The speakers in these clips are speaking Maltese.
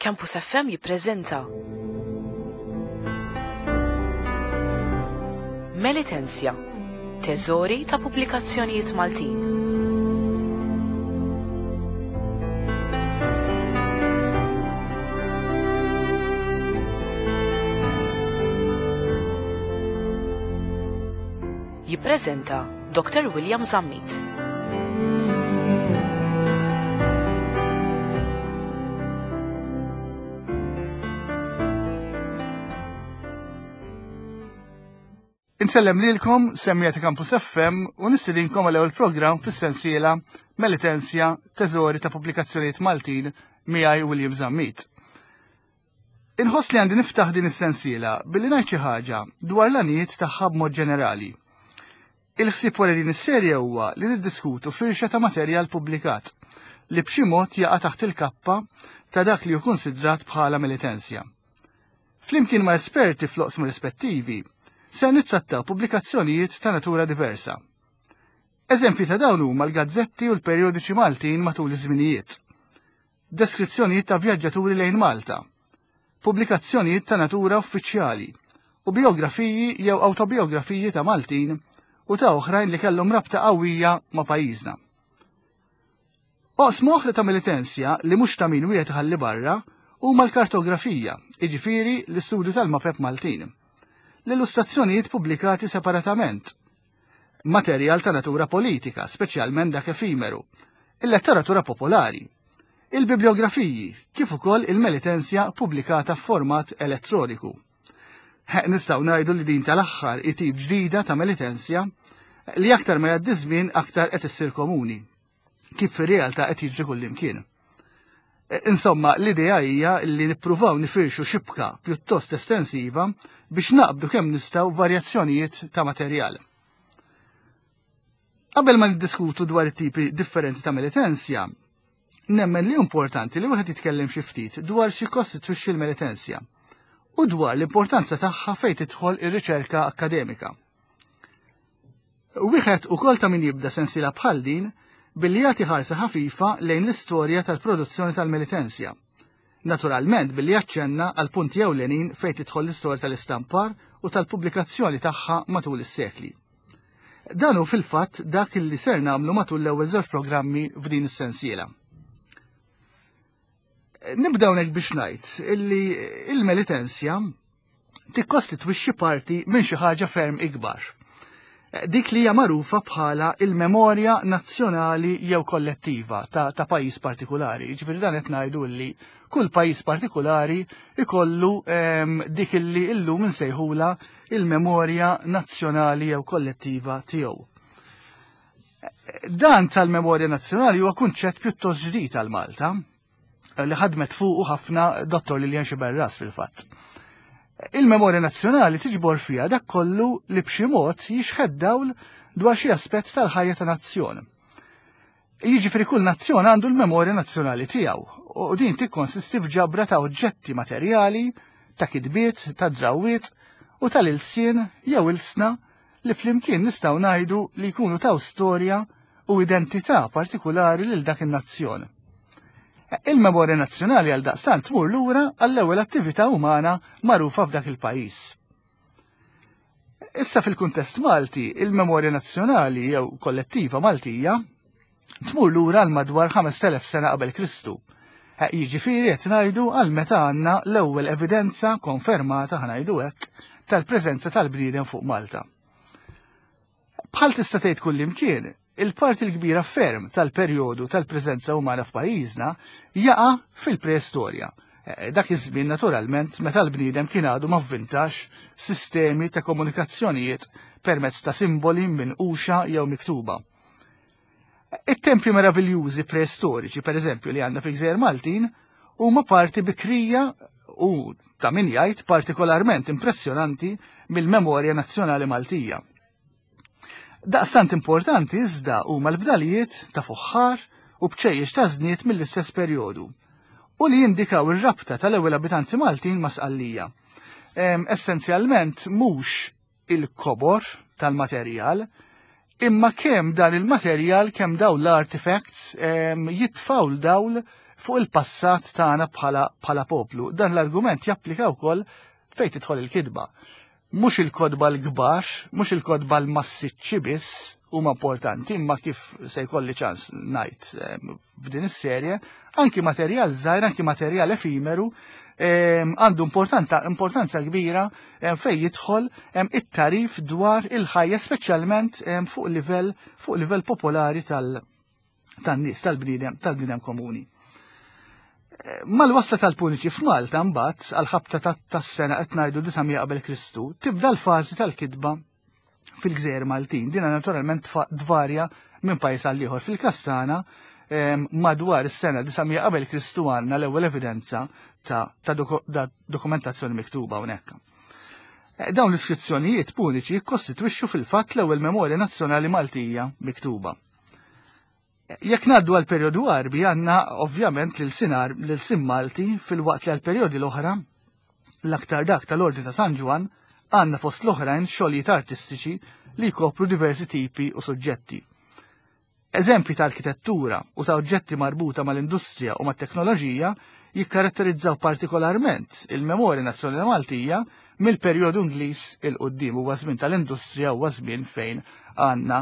Campus FM jippreżenta Melitensja, teżori ta' pubblikazzjonijiet Maltin. Jippreżenta Dr. William Zammit. Insellem lilkom semmija ta' Campus FM u nistedinkom għal ewwel programm fis-sensiela Melitensja Teżori ta' Pubblikazzjonijiet Maltin miegħi William Zammit. Inħoss li għandi niftaħ din is-sensiela billi ngħid xi ħaġa dwar l-għanijiet tagħha b'mod ġenerali. Il-ħsieb wara din is-serje huwa li niddiskutu firxa ta' materjal pubblikat li b'xi mod jaqa' taħt il-kappa ta' dak li hu kunsidrat bħala militensja. Flimkien ma' esperti fl-oqsma rispettivi, ser nittrattaw pubblikazzjonijiet ta' natura diversa. Eżempji ta' dawn huma l-gazzetti u l-perjodiċi Maltin matul iż-żminijiet. Deskrizzjonijiet ta' vjaġġaturi lejn Malta, pubblikazzjonijiet ta' natura uffiċjali u bijografiji jew awtobijografiji ta' Maltin u ta' oħrajn li kellhom rabta qawwija ma' pajjiżna. Oqsma oħra ta' militensja li mhux ta' min wieħed iħalli barra huma l-kartografija, jiġifieri l-istudju tal-mapep Maltin, l-illustrazzjonijiet pubblikati separatament, materjal ta' natura politika, speċjalment dak efimeru, il-letteratura popolari, il-bibliografiji, kif ukoll il-melitensja pubblikata f'format elettroniku. Nistgħu ngħidu li din tal-aħħar hi tip ġdida ta' melitensja li aktar ma jgħaddi żmien aktar qed issir komuni. kif fir-realtà qed jiġri kullimkien. E, insomma, l-idea hija li nippruvaw nifirxu xibka pjuttost estensiva biex naqbdu kemm nistgħu varjazzjonijiet ta' materjal. Qabel ma niddiskutu dwar it-tipi differenti ta' militensja, nemmen li importanti li wieħed jitkellem xi ftit dwar xi kostitwixxi l-militensja u dwar l-importanza tagħha fejn tidħol ir-riċerka akademika. Wieħed ukoll ta' min jibda sensiela bħal din billi jagħti ħarsa ħafifa lejn l-istorja tal-produzzjoni tal-Melitensja. Naturalment billi jaċċenna għal punti ewlenin fejn tidħol l-istorja tal-istampar u tal-pubblikazzjoni tagħha matul is-sekli. Dan hu fil-fatt dak li ser nagħmlu matul l-ewwel żewġ programmi f'din is-sensiela. Nibda hawnhekk biex ngħid illi il-Melitensja tikkostitwixxi parti minn xi ħaġa ferm ikbar. Dik li hija magħrufa bħala il-memorja nazzjonali jew kollettiva ta', ta pajjiż partikolari. Ġifieri dan qed ngħidu li kull pajjiż partikolari ikollu ehm, dik illi illum insejħula il-memorja nazzjonali jew kollettiva tiegħu. Dan tal-memorja nazzjonali huwa kunċett pjuttost ġdid għal Malta li ħadmet fuqu ħafna Dottor Lilian Xiberras fil-fatt. Il-memorja nazzjonali tiġbor fiha dak kollu li b'xi mod jixħed dawl dwar xi aspett tal-ħajja ta' nazzjon. Jiġifieri kull nazzjon għandu l-memorja nazzjonali tiegħu u din tikkonsisti f'ġabra ta' oġġetti materjali, ta' kitbiet, ta' drawwiet u tal-ilsien jew ilsna li flimkien nistgħu ngħidu li jkunu taw storja u identità partikulari lil dak in-nazzjon. Il-memorja nazzjonali għal daqstant tmur lura għall-ewwel attività umana magħrufa f'dak il-pajjiż. Issa fil-kuntest Malti, il-memorja nazzjonali jew kollettiva Maltija tmur lura għal madwar 5000 sena qabel Kristu. Jiġifieri qed ngħidu għal meta għandna l-ewwel evidenza konfermata ħanajdu hekk tal-preżenza tal-bniedem fuq Malta. Bħal tista' tgħid kullimkien, il-parti l-kbira ferm tal-perjodu tal-preżenza umana f'pajjiżna jaqa' fil-preistorja. Dak iż-żmien naturalment meta l-bniedem kien għadu ma vvintax sistemi ta' komunikazzjonijiet permezz ta' simboli minquxa jew miktuba. It-tempji meraviljużi preistoriċi, per eżempju, li għandna fil-Gżejjer Maltin, huma parti bikrija u ta' min jgħid partikolarment impressjonanti mill-memorja nazzjonali Maltija. Daqstant importanti iżda huma l-fdalijiet ta' fuħħar u bċejjex ta' żniet mill-istess perjodu u li jindikaw ir-rabta tal-ewwel abitanti Maltin ma' Sqallija. Essenzjalment mhux il-kobor tal-materjal, imma kemm dan il-materjal, kemm dawn l-artifacts jitfaw l-dawl fuq il-passat tagħna bħala poplu. Dan l-argument japplika wkoll fejn tidħol il-kitba. Mhux il-kotba l-kbar, mhux il-kotba l-massiċċi biss huma importanti, imma kif se jkolli ċans ngħid f'din is-serje, anki materjal żgħir, anki materjal efimeru għandu importanza kbira fejn jidħol it-tarif dwar il-ħajja speċjalment fuq livell fuq livell popolari tal tan-nies tal-bniedem tal-bniedem komuni. Mal-wasla tal-Puniċi f'Malta mbagħad għal-ħabta tas-sena qed ngħidu 900 qabel Kristu, tibda l-fażi tal-kitba fil-Gżejjer Maltin. Dina naturalment tvarja minn pajjiż għal ieħor. Fil-każ tagħna madwar is-sena 900 qabel Kristu għandna l-ewwel evidenza ta', ta, ta dokumentazzjoni miktuba hawnhekk. Eh, dawn l-iskrizzjonijiet puniċi jikkostitwixxu fil-fatt l-ewwel memorja nazzjonali Maltija miktuba. Jekk ngħaddu għal perjodu Għarbi għandna ovvjament lil sinar lil sim Malti filwaqt li għal perjodi l-oħra l-aktar dak tal-Ordni ta' San Ġwann għandna fost l-oħrajn xogħlijiet artistiċi li jkopru diversi tipi u suġġetti. Eżempji ta' arkitettura u ta' oġġetti marbuta mal-industrija u mat-teknoloġija jikkaratterizzaw partikolarment il-memorja nazzjonali Maltija mill-perjodu Ingliż 'il quddiem huwa żmien tal-industrija huwa żmien fejn għandna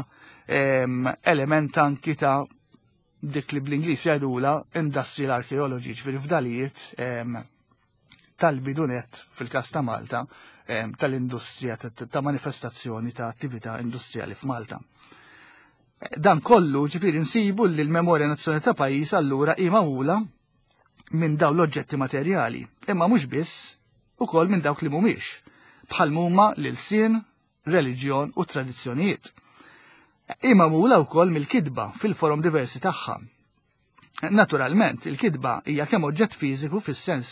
element anki ta' dik li bl-Ingliż jgħidula industrial archaeology, ġifieri fdalijiet tal-bidunet fil-każ ta' Malta tal-industrija ta' manifestazzjoni ta' attività industrijali f'Malta. Dan kollu ġifieri nsibu li l-memorja nazzjonali ta' pajjiż allura hi magħmula minn dawn l-oġġetti materjali, imma mhux biss, ukoll minn dawk li mhumiex, bħal huma l-ilsien, reliġjon u tradizzjonijiet. Hi magħmula wkoll mill-kitba fil-forom diversi tagħha. Naturalment, il-kitba hija kemm oġġett fiżiku fis-sens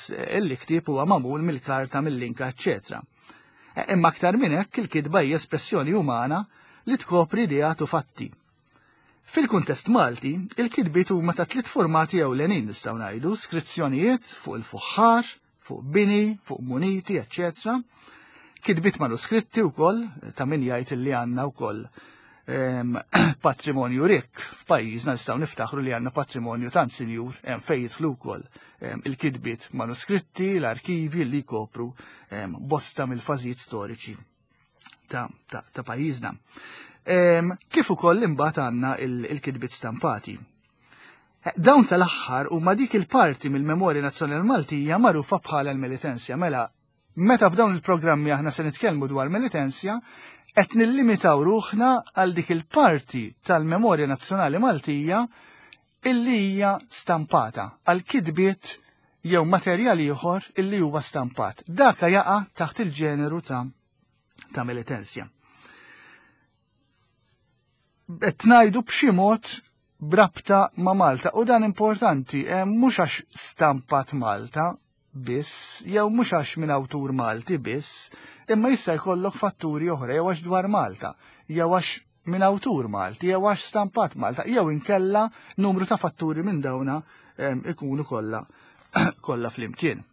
li ktieb huwa magħmul mill-karta, mill-linka, eċċetera. Imma aktar minn hekk il-kitba hija espressjoni umana li tkopri ideat u fatti. Fil-kuntest Malti, il-kitbiet huma ta' tliet formati ewlenin nistgħu ngħidu, skrizzjonijiet fuq il-fuħħar, fuq bini, fuq muniti, eċċetera. Kitbiet manuskritti wkoll, ta' min jgħid li għandna wkoll patrimonju rikk f'pajjiżna nistgħu niftaħru li għandna patrimonju tant sinjur fejn jidħlu wkoll il-kitbiet manuskritti, l-arkivi li jkopru bosta mill-fażijiet storiċi ta', ta, ta pajjiżna. Kif ukoll imbagħad għandna il-kitbiet stampati. Dawn tal-aħħar huma dik il-parti mill-memorja nazzjonali Maltija magħrufa bħala l-Melitensja. Mela, meta f'dawn il-programmi aħna se nitkellmu dwar Melitensja, qed nillimitaw ruħna għal dik il-parti tal-memorja nazzjonali Maltija illi hija stampata għal kitbiet jew materjal ieħor illi huwa stampat. Daka jaqa' taħt il-ġeneru ta' ta' Melitensja. Qed ngħidu b'xi mod brabta ma' Malta u dan importanti eh, mhux għax stampat Malta biss jew mhux għax minn awtur Malti biss, imma jista' jkollok fatturi oħra jew għax dwar Malta, jew għax minn awtur Malti, jew għax stampat Malta, jew inkella numru ta' fatturi minn dawna eh, ikunu kollha kollha flimkien.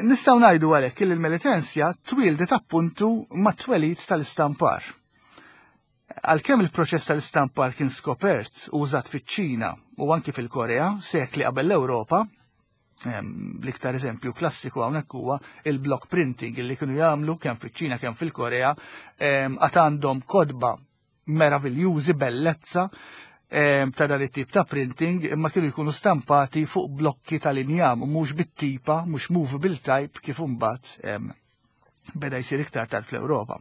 Nistgħu ngħidu għalhekk li l-Melitensja twieldet appuntu mat-twelid tal-istampar. Għalkemm il-proċess tal-istampar kien skopert u użat fiċ-Ċina u anki fil-Korea sekli qabel l-Ewropa, l-iktar eżempju klassiku hawnhekk huwa il-block printing li kienu jagħmlu kemm fiċ-Ċina kemm fil-Korea għad għandhom kodba meraviljużi bellezza ta' dan it-tip ta' printing imma kienu jkunu stampati fuq blokki tal-injam u mhux bit-tipa, mhux movable type kif imbagħad beda jsir iktar tard fl-Ewropa.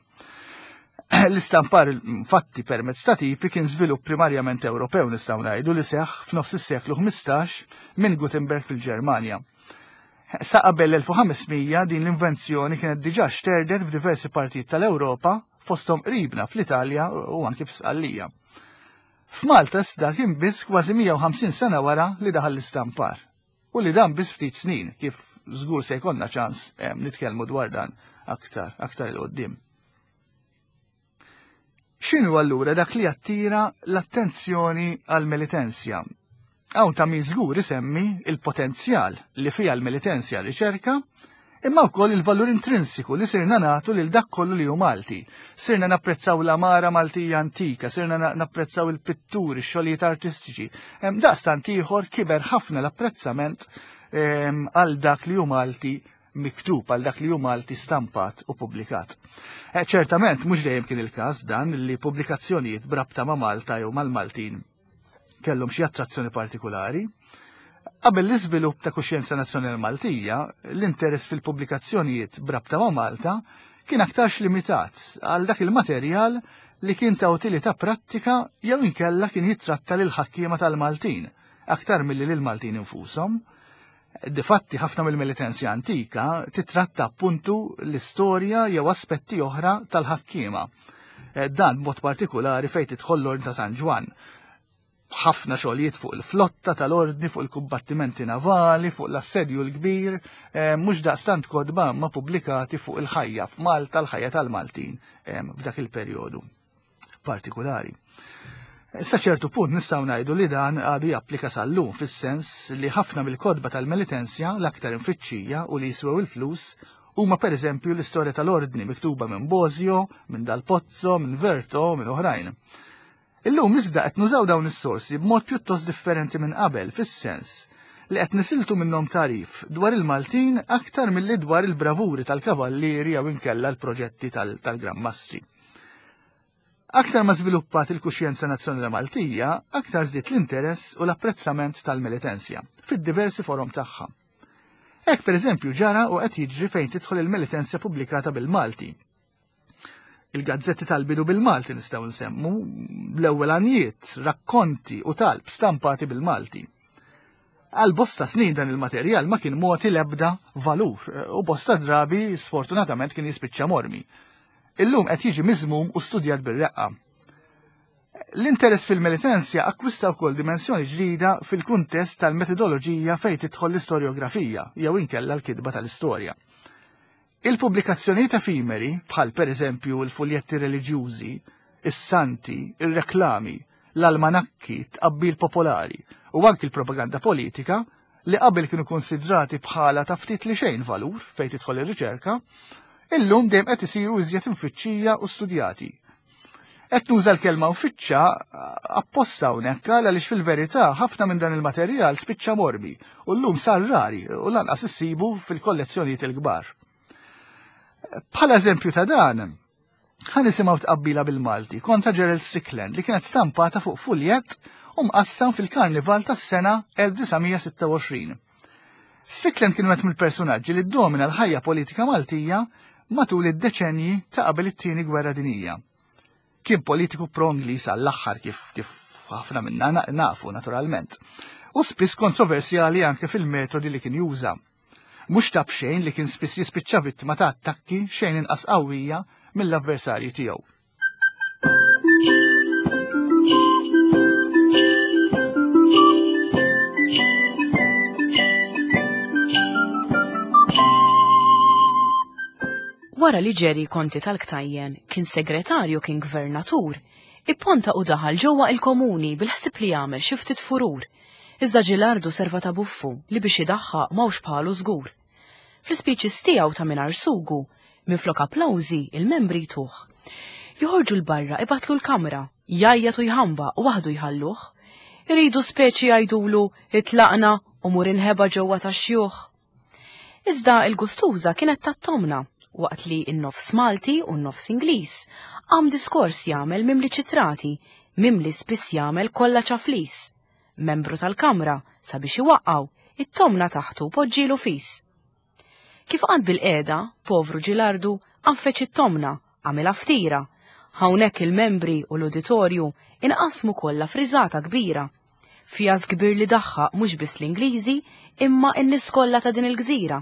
L-istampar fatti permezz ta' tipi kien żvilupp primarjament Ewropew nistgħu ngħidu li seħħ f'nofs is-seklu 15 minn Gutenberg fil-Ġermanja. Sa qabel l-1500 din l-invenzjoni kienet diġà xterdet f'diversi partijiet tal-Ewropa fosthom qribna fl-Italja u anki f'Sqallija. F'Malta iżda kien biss kważi 150 sena wara li daħal l-istampar u li dan biss ftit snin kif żgur se jkollna ċans eh, nitkellmu dwar dan aktar aktar il qoddim. X'inhu allura dak li attira l-attenzjoni għal Melitensja? Hawn ta' min żgur isemmi il-potenzjal li fiha l-Melitensja riċerka, imma wkoll il-valur intrinsiku li sirna nagħtu lil dak kollu li hu Malti. Sirna napprezzaw l-amara Maltija antika, sirna napprezzaw il-pitturi, ix-xogħlijiet artistiċi. Daqstant ieħor kiber ħafna l-apprezzament għal dak li hu Malti miktub, għal dak li hu Malti stampat u pubblikat. Eh, ċertament, mhux dejjem kien il-każ dan li pubblikazzjonijiet brabta ma' Malta jew mal-Maltin kellhom xi attrazzjoni partikulari. Qabel l-iżvilupp ta' kuxjenza nazzjonali Maltija, l-interess fil-pubblikazzjonijiet brabta ma' Malta kien aktarx limitat għal dak il-materjal li kien ta' utilità prattika jew inkella kien jittratta lil ħakkiema tal-Maltin, aktar milli lil Maltin infushom. Difatti ħafna mill-militenzja antika titratta appuntu l-istorja jew aspetti oħra tal-ħakkiema. Eh, dan b'mod partikulari fejn tidħol l-Ordni ta' San Ġwann. Ħafna xogħlijiet fuq il-flotta tal-ordni, fuq il-kumbattimenti navali, fuq l-assedju l-kbir, eh, mhux daqstant kotba ma pubblikati fuq il-ħajja f'Malta, l-ħajja tal-Maltin eh, f'dak il-perjodu partikulari. Sa ċertu punt nistgħu ngħidu li dan għadu japplika sal-lum fis-sens li ħafna mill-kotba tal-Melitensja l-aktar imfittxija u li jiswew il-flus huma pereżempju l-istorja tal-ordni miktuba minn Bosio, minn Dal Pozzo, minn Verto, minn oħrajn. Illum iżda qed nużaw dawn is-sorsi b'mod pjuttost differenti minn qabel fis-sens li qed nisiltu minnhom tagħrif dwar il-Maltin aktar milli dwar il-bravuri tal-kavallieri jew inkella l-proġetti tal-Gran Mastri. Aktar ma żviluppat il-kuxjenza nazzjonali Maltija, aktar żdied l-interess u l-apprezzament tal-Melitensja fid-diversi forom tagħha. Hekk pereżempju ġara u qed jiġri fejn tidħol il-Melitensja pubblikata bil-Malti. Il-gazzetti tal-bidu bil-Malti nistgħu nsemmu l-ewwel għanjiet, rakkonti u talb stampati bil-Malti. Għal bosta snin dan il-materjal ma kien mogħti l-ebda valur u bosta drabi sfortunatament kien jispiċċa mormi. Illum qed jiġi miżmum u studjat bir-reqqa. L-interess fil-Melitensja akkwista wkoll dimensjoni ġdida fil-kuntest tal-metodoloġija fejn tidħol l-istorjografija jew inkella l-kitba tal-istorja. Il-pubblikazzjonijiet efimeri, bħal pereżempju l-fuljetti reliġjużi, is-santi, ir-reklami, l-almanakki, t-tqabbil popolari u anki l-propaganda politika, li qabel kienu kunsidrati bħala ta' ftit li xejn valur fejn tidħol ir-riċerka, illum dejjem qed isiru iżjed imfittxija u studjati. Qed nuża l-kelma uffiċċa apposta hawnhekk għaliex fil-verità ħafna minn dan il-materjal spiċċa mormi u llum sar rari u lanqas issibu fil-kollezzjonijiet il-kbar. Bħala eżempju ta' dan, ħa nisimgħu tqabbila bil-Malti kontra Gerald Strickland li kienet stampata fuq fuljett u mqassam fil-karnival tas-sena 1926. Strickland kien wieħed mill-personaġġi li ddomina l-ħajja politika Maltija matul id-deċenji ta' qabel it-Tieni Gwerra Dinjija. Kien politiku pro-Ingliż għall-aħħar kif kif ħafna minna nafu naturalment. U spiss kontroversjali anke fil-metodi li kien juża. Mhux ta' b'xejn li kien spiss jispiċċa vittma ta' attakki xejn inqas qawwija mill-avversarji tiegħu. Wara li Jerry Conti tal-Ktajjen kien segretarju kien gvernatur, ipponta u daħal ġewwa il-komuni bil-ħsieb li jagħmel xi ftit furur. Iżda Ġilardu serva ta' buffu li biex idaħħaq m'hawnx bħalu żgur. Fl-ispeeches tiegħu ta' mingħajr sugu, minflok applawżi, il-membri jtuh. Joħorġu 'l barra ibattlu l-kamra, jgħajjat u jħambaq u waħdu jħalluh. Iridu speċi jgħidulu itlaqna u mur inħeba ġewwa tax-xjuħ. Iżda il-gustuża kienet tat-tomna, waqt li n-nofs Malti u n-nofs Ingliż qam diskors jagħmel mimli ċitrati, mimli spiss jagħmel kollha ċaflis. Membru tal-Kamra, sabiex iwaqqgħu, it-tomna taħtu poġġielu fis. Kif qagħad bilqiegħda, povru Ġilardu għaffeġ it-tomna, għamilha ftira. Hawnhekk il-membri u l-uditorju inqasmu kollha f'riżata kbira. Fjask kbir li daħħaq mhux biss l-Ingliżi imma n-nies kollha ta' din il-gżira.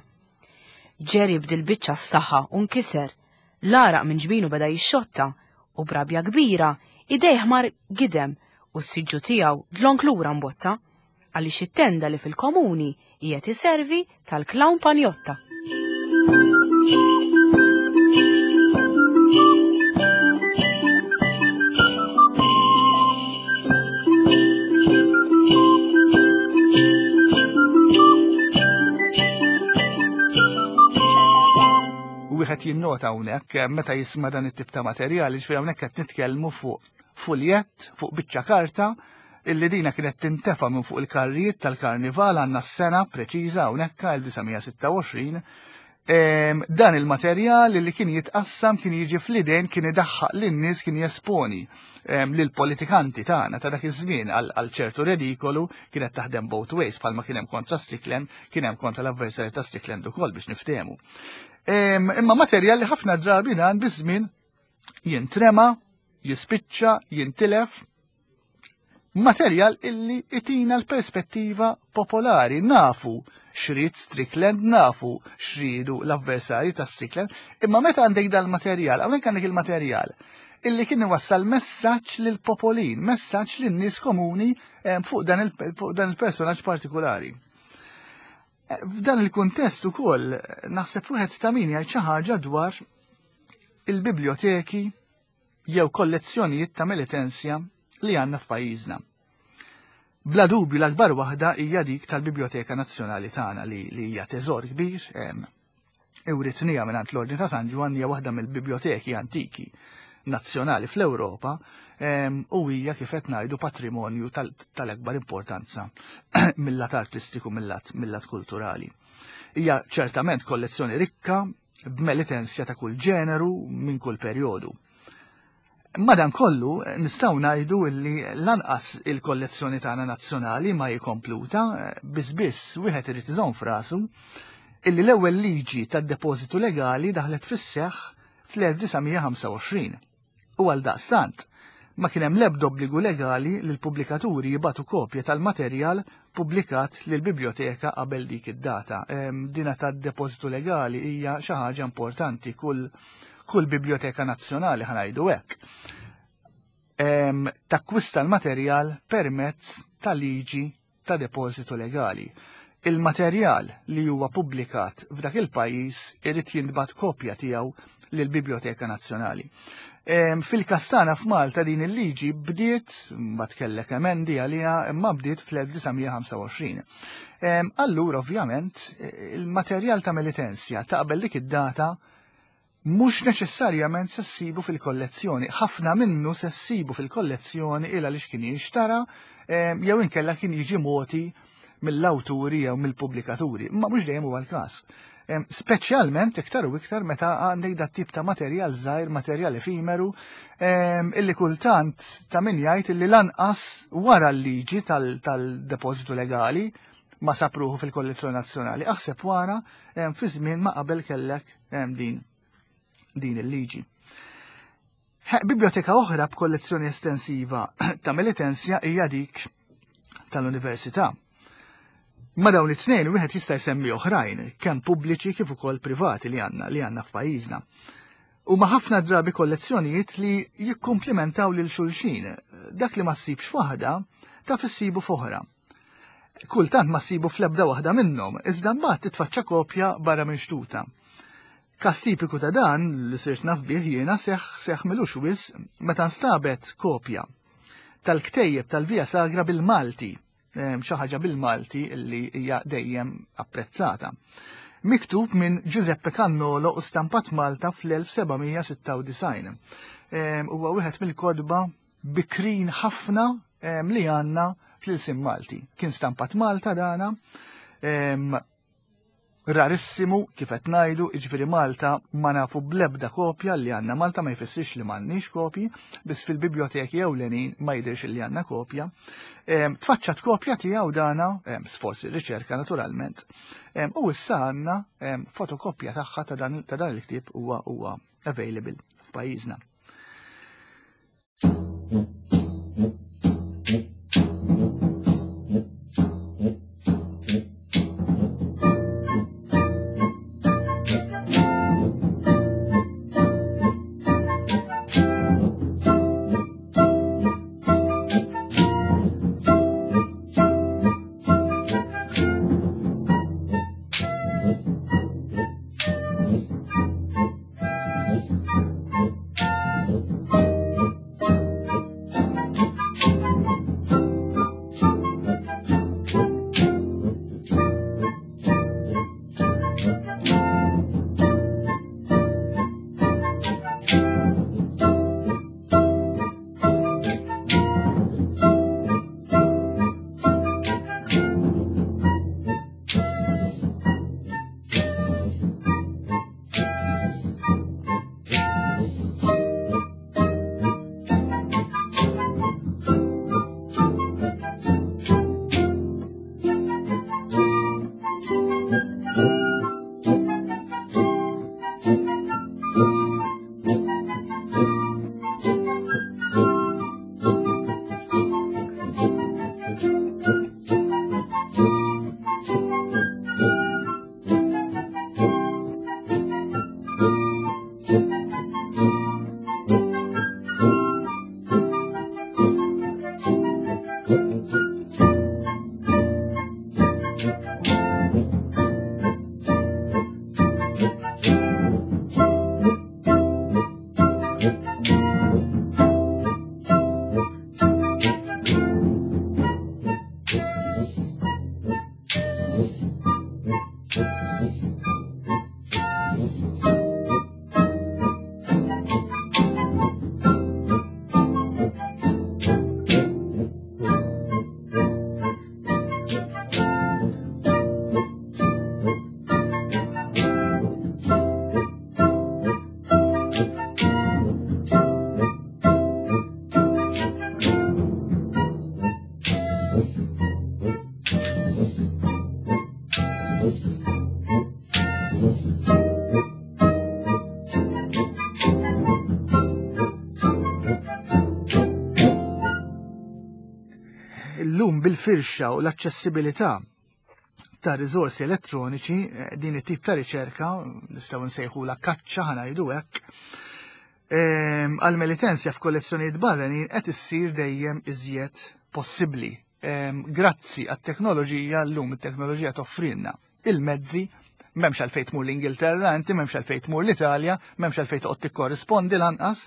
Jerry b'dil-biċċa staħa u nkiser. L-għaraq minn ġbinu beda jixxotta u b'rabja kbira idejh mar gidem u s-siġġu tiegħu dlonk lura mbotta għaliex it-tenda li fil-komuni qiegħed iservi tal-klawn Panjotta. wieħed jinnota hawnhekk eh, meta jisma' dan it-tip ta' materjali, ġifieri hawnhekk qed nitkellmu fuq fuljett, fuq biċċa karta, illi dina kienet tintefa' minn fuq il-karrijiet tal-karnival għandna s-sena preċiża hawnhekk 1926 Dan il-materjal li kien jitqassam kien jiġi fl-idejn kien idaħħaq lin-nies kien jesponi lill-politikanti tagħna ta' dak iż-żmien għal ċertu redikolu kienet taħdem both ways bħalma kien hemm kontra Strickland kien hemm kontra l-avversarju ta' Strickland ukoll biex niftehmu. Imma materjal li ħafna drabi dan biż-żmien jintrema, jispiċċa, jintilef, materjal illi itina l-perspettiva popolari nafu xrid Strickland, nafu xridu l-avversarji ta' Strickland, imma meta għandek dal-materjal, hawnhekk għandek il-materjal illi kien iwassal messaġġ lil popolin, messaġġ lin nies komuni eh, fuq dan il-personaġġ partikolari. Eh, f'dan il-kuntest ukoll naħseb wieħed ta' min jgħid xi ħaġa dwar il-biblioteki jew kollezzjonijiet ta' Melitensja li għandna f'pajjiżna. Bla dubju l-akbar waħda hija dik tal-Biblioteka Nazzjonali tagħna li, li hija teżor kbir, iwritnija mingħand l-Ordni ta' San Ġwann hija waħda mill-biblioteki antiki nazzjonali fl-Ewropa u hija kif qed ngħidu patrimonju tal-akbar importanza mill-lat artistiku mill-lat kulturali. Hija ċertament kollezzjoni rikka b'melitensja ta' kull ġeneru minn kull perjodu. Madankollu, nistgħu ngħidu li lanqas il-kollezzjoni tagħna nazzjonali ma hi kompluta, biss biss wieħed irid iżomm f'rasu illi l-ewwel liġi tad-depożitu legali daħlet fis-seħħ fl-1925. U għaldaqstant, ma kien hemm l-ebda obbligu legali li l-pubblikaturi jibagħtu kopja tal-materjal pubblikat lill-biblioteka qabel dik id-data. Dina tad-depożitu legali hija xi ħaġa importanti kull kull biblioteka nazzjonali ħanajdu hekk. Takkwista l-materjal permezz ta' liġi ta' depożitu legali. Il-materjal li huwa pubblikat f'dak il-pajjiż irid jintbagħat kopja tiegħu lill-Biblioteka Nazzjonali. Fil-Kassana f'Malta din il-liġi bdiet, ma tkellek emendi għaliha, imma bdiet fl-1925. Allura ovvjament il-materjal ta' Melitensja ta' qabel dik id-data mhux neċessarjament se ssibu fil-kollezzjoni. Ħafna minnu se ssibu fil-kollezzjoni il għaliex kien jinxtara jew inkella kien jiġi moti mill-awturi jew mill-pubblikaturi. Ma mhux dejjem huwa l-każ. Speċjalment iktar u iktar meta għandek dat tip ta' materjal żgħir, materjal efimeru, illi kultant ta' min jgħid illi lanqas wara l-liġi tal-depożitu legali ma sapruħu fil-kollezzjoni nazzjonali. Aħseb wara fi żmien ma qabel kellek din din il-liġi. Biblioteka oħra b'kollezzjoni estensiva ta' Melitensja hija dik tal-Università. Ma dawn it-tnejn wieħed jista' jsemmi oħrajn, kemm pubbliċi kif ukoll privati li għandna li għandna f'pajjiżna. Huma ħafna drabi kollezzjonijiet li jikkumplimentaw lil xulxin. Dak li ma ssibx f'waħda, taf issibu f'oħra. Kultant ma ssibu fl-ebda waħda minnhom, iżda mbagħad titfaċċa kopja barra minn xtuta. Każ tipiku ta' dan li sirt naf bih jiena seħ seħ milux wis meta nstabet kopja tal-ktejjeb tal-Via Sagra bil-Malti, xi ħaġa bil-Malti li hija dejjem apprezzata. Miktub minn Giuseppe Cannolo u stampat Malta fl-1796. Huwa wieħed mill-kodba bikrin ħafna li għandna fl-ilsien Malti. Kien stampat Malta dana, rarissimu kif qed ngħidu, jiġifieri Malta ma nafu bl-ebda kopja li għandna Malta ma jfissirx li m'għandniex kopji, biss fil-biblioteki ewlenin ma jidhirx li għandna kopja. Tfaċċat kopja tiegħu dana, sforz ir-riċerka naturalment, u issa għandna fotokopja tagħha ta' dan il-ktieb huwa huwa available f'pajjiżna. Illum bil-firxa u l-aċċessibilità ta' riżorsi elettroniċi, din it-tip ta' riċerka, nistgħu nsejħula kaċċa ħa ngħidu hekk, għal-Melitensja f'kollezzjonijiet barranin qed issir dejjem iżjed possibbli. Grazzi għat-teknoloġija, llum it-teknoloġija toffrilna il-mezzi, m'hemmx għalfejn tmur l-Ingilterra, inti m'hemmx għalfejn tmur l-Italja, m'hemmx għalfejn toqgħod tikkorrispondi lanqas,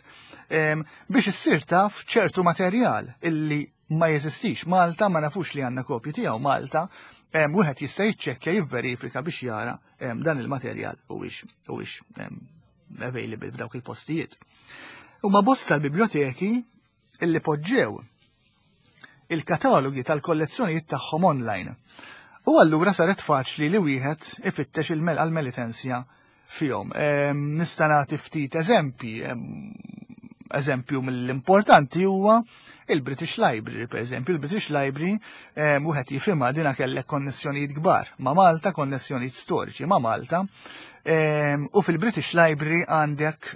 biex issir taf ċertu materjal illi ma jeżistix Malta, ma nafux li għandna kopji tiegħu Malta, wieħed jista' jiċċekkja, jivverifika biex jara dan il-materjal huwiex available f'dawk il-postijiet. Huma bosta l-biblioteki illi poġġew il-katalogi tal-kollezzjonijiet tagħhom online. U allura saret faċli li wieħed ifittex il-għal-Melitensja fihom. Nista' nagħti ftit eżempji. Eżempju mill-importanti huwa il-British Library, per eżempju, il-British Library wieħed jifhimha dina kellek konnessjonijiet kbar ma' Malta, konnessjonijiet storiċi ma' Malta. U fil-British Library għandek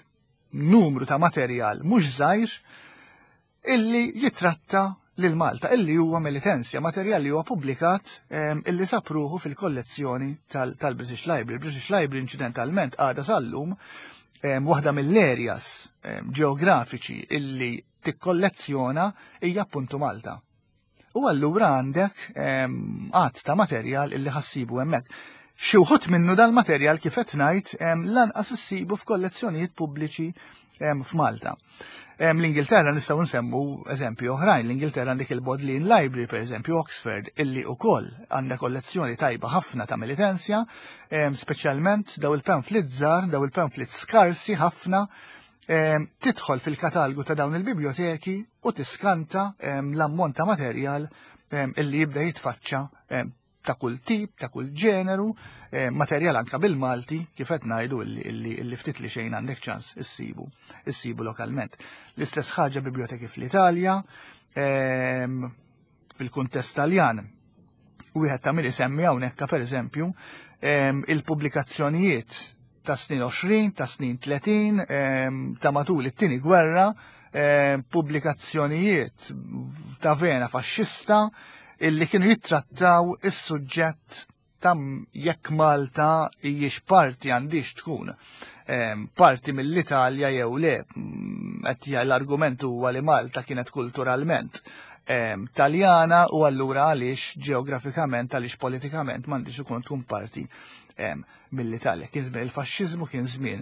numru ta' materjal mhux żgħir illi jitratta lil Malta, illi huwa Melitensja, materjal li huwa pubblikat illi sapruħu fil-kollezzjoni tal-British Library. British Library incidentalment għadha sal-lum waħda mill-areas ġeografiċi illi tikkollezzjona hija appuntu Malta. U allura għandek għadd ta' materjal illi ħa ssibu hemmhekk. Xi wħud minnu dal-materjal, kif qed ngħid, lanqas issibu f'kollezzjonijiet pubbliċi f'Malta. L-Ingilterra nistgħu nsemmu eżempju oħrajn. L-Ingilterra għandek il-Bodleian Library, per eżempju, Oxford, illi ukoll għandha kollezzjoni tajba ħafna ta' Melitensja, speċjalment daw il-pamphlet żgħar, daw il-pamphlet skarsi ħafna. Tidħol fil-katalgu ta' dawn il-biblioteki u tiskanta l-ammont ta' materjal illi jibda jitfaċċa ta' kull tip, ta' kull ġeneru, materjal anka bil-Malti, kif qed ngħidu illi ftit li xejn għandek ċans issibu lokalment. L-istess ħaġa biblioteki fl-Italja, fil-kuntest Taljan. Wieħed ta' min isemmi hawnhekk, pereżempju, il-pubblikazzjonijiet ta' snin 20, ta' snin 30, ta' matul it-tieni gwerra, pubblikazzjonijiet ta' vena faxxista illi kienu jittrattaw is-suġġett ta' jekk Malta hijiex parti, għandix tkun parti mill-Italja jew le. Qed l-argument huwa li Malta kienet kulturalment Taljana u allura għaliex ġeografikament, għaliex politikament m'għandix ikun tkun parti mill-Italja. Kien żmien il-faxxiżmu, kien żmien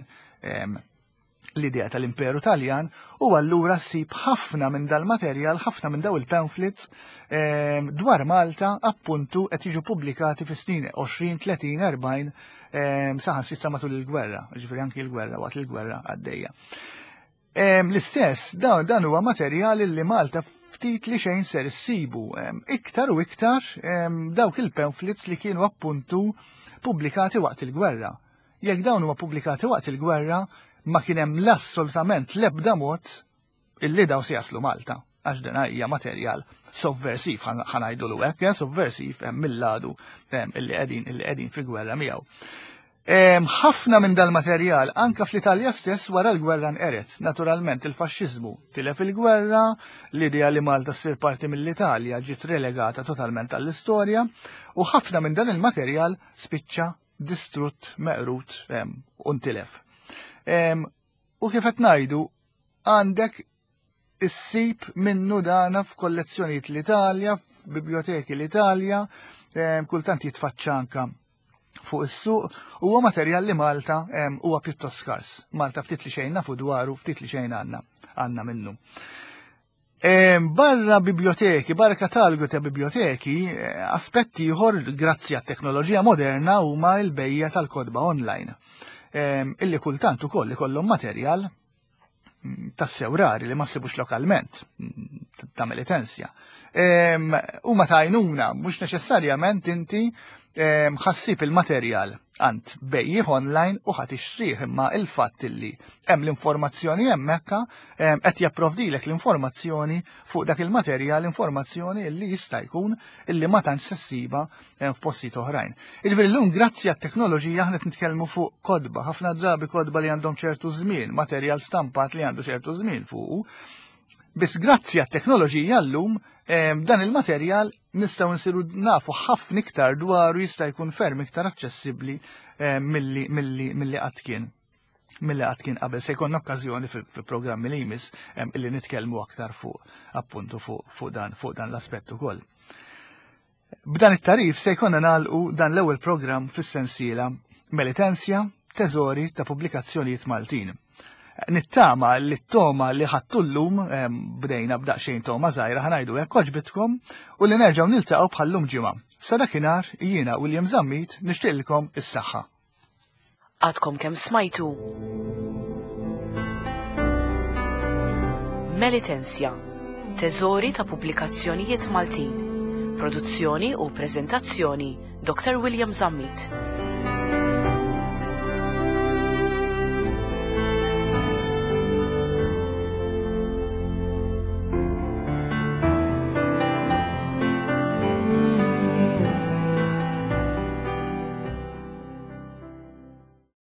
l-idea tal-Imperu Taljan u allura ssib ħafna minn dal-materjal, ħafna minn daw il-pamphlets dwar Malta appuntu qed jiġu pubblikati fi snin 20, 30, 40, saħansitra matul il-gwerra, ġifieri anki il-gwerra, waqt il-gwerra għaddejja. L-istess, dan huwa materjal li Malta ftit li xejn ser issibu. Iktar u iktar dawk il-pamphlets li kienu appuntu pubblikati waqt il-gwerra. Jekk dawn huma pubblikati waqt il-gwerra, ma kien hemm l-assolutament l-ebda mod illi daw se jaslu Malta, għax dan hija materjal sovversiv, ħa ngħidu l hekk, sovversiv mill-ladu illi qegħdin fi gwerra miegħu. Ħafna minn dal-materjal anka fl-Italja stess wara l-gwerra nqeret. Naturalment il-faxxiżmu tilef il-gwerra, l-idea li Malta ssir parti mill-Italja ġiet relegata totalment għall-istorja u ħafna minn dan il-materjal spiċċa distrutt, meqrut u ntilef. U kif qed ngħidu, għandek issib minnu dana f'kollezzjonijiet l-Italja, f'biblioteki l-Italja, kultant jitfaċċa anka fuq is-suq, huwa materjal li Malta huwa pjuttost skars. Malta ftit li xejn nafu dwaru, ftit li xejn għandna minnu. Barra biblioteki, barra katalgu ta' biblioteki, aspetti ieħor grazzi għat-teknoloġija moderna huma l-bejja tal-kotba online. Illi kultant ukoll ikollhom materjal tassew rari li ma ssibux lokalment, ta' Melitensja. Huma tajnuna, mhux neċessarjament inti. Ħa ssib il-materjal għand bejjiegħ online u ħa tixtrih, imma il-fatt illi hemm l-informazzjoni hemmhekk qed japprovdilek l-informazzjoni fuq dak il-materjal, informazzjoni illi jista' jkun illi ma tantx se ssibha f'postijiet oħrajn. Jiġifieri llum, grazzi għat-teknoloġija, aħna qed nitkellmu fuq kotba, ħafna drabi kotba li għandhom ċertu żmien, materjal stampat li għandu ċertu żmien fuqu. Biss grazzi għat-teknoloġija llum dan il-materjal nistgħu nsiru nafu ħafna iktar dwaru, jista' jkun ferm iktar aċċessibbli milli qatt kien qabel. Se jkollna okkażjoni fil-programmi li jmiss illi nitkellmu aktar fuq appuntu fuq dan l-aspett ukoll. B'dan it-tagħrif se jkollna nagħlqu dan l-ewwel programm fis-sensiela Melitensia, Teżori ta' Pubblikazzjonijiet Maltin. Nittama li t-togħma li ħadtu llum, bdejna b'daqsxejn togħma żgħira, ħa ngħidu hekk, għoġbitkom u li nerġgħu niltaqgħu bħallum ġimgħa. Sa dakinhar jiena, William Zammit, nixtieqilkom is-saħħa. Għadkom kemm smajtu Melitensia, Teżori ta' Pubblikazzjonijiet Maltin. Produzzjoni u prezentazzjoni Dr. William Zammit.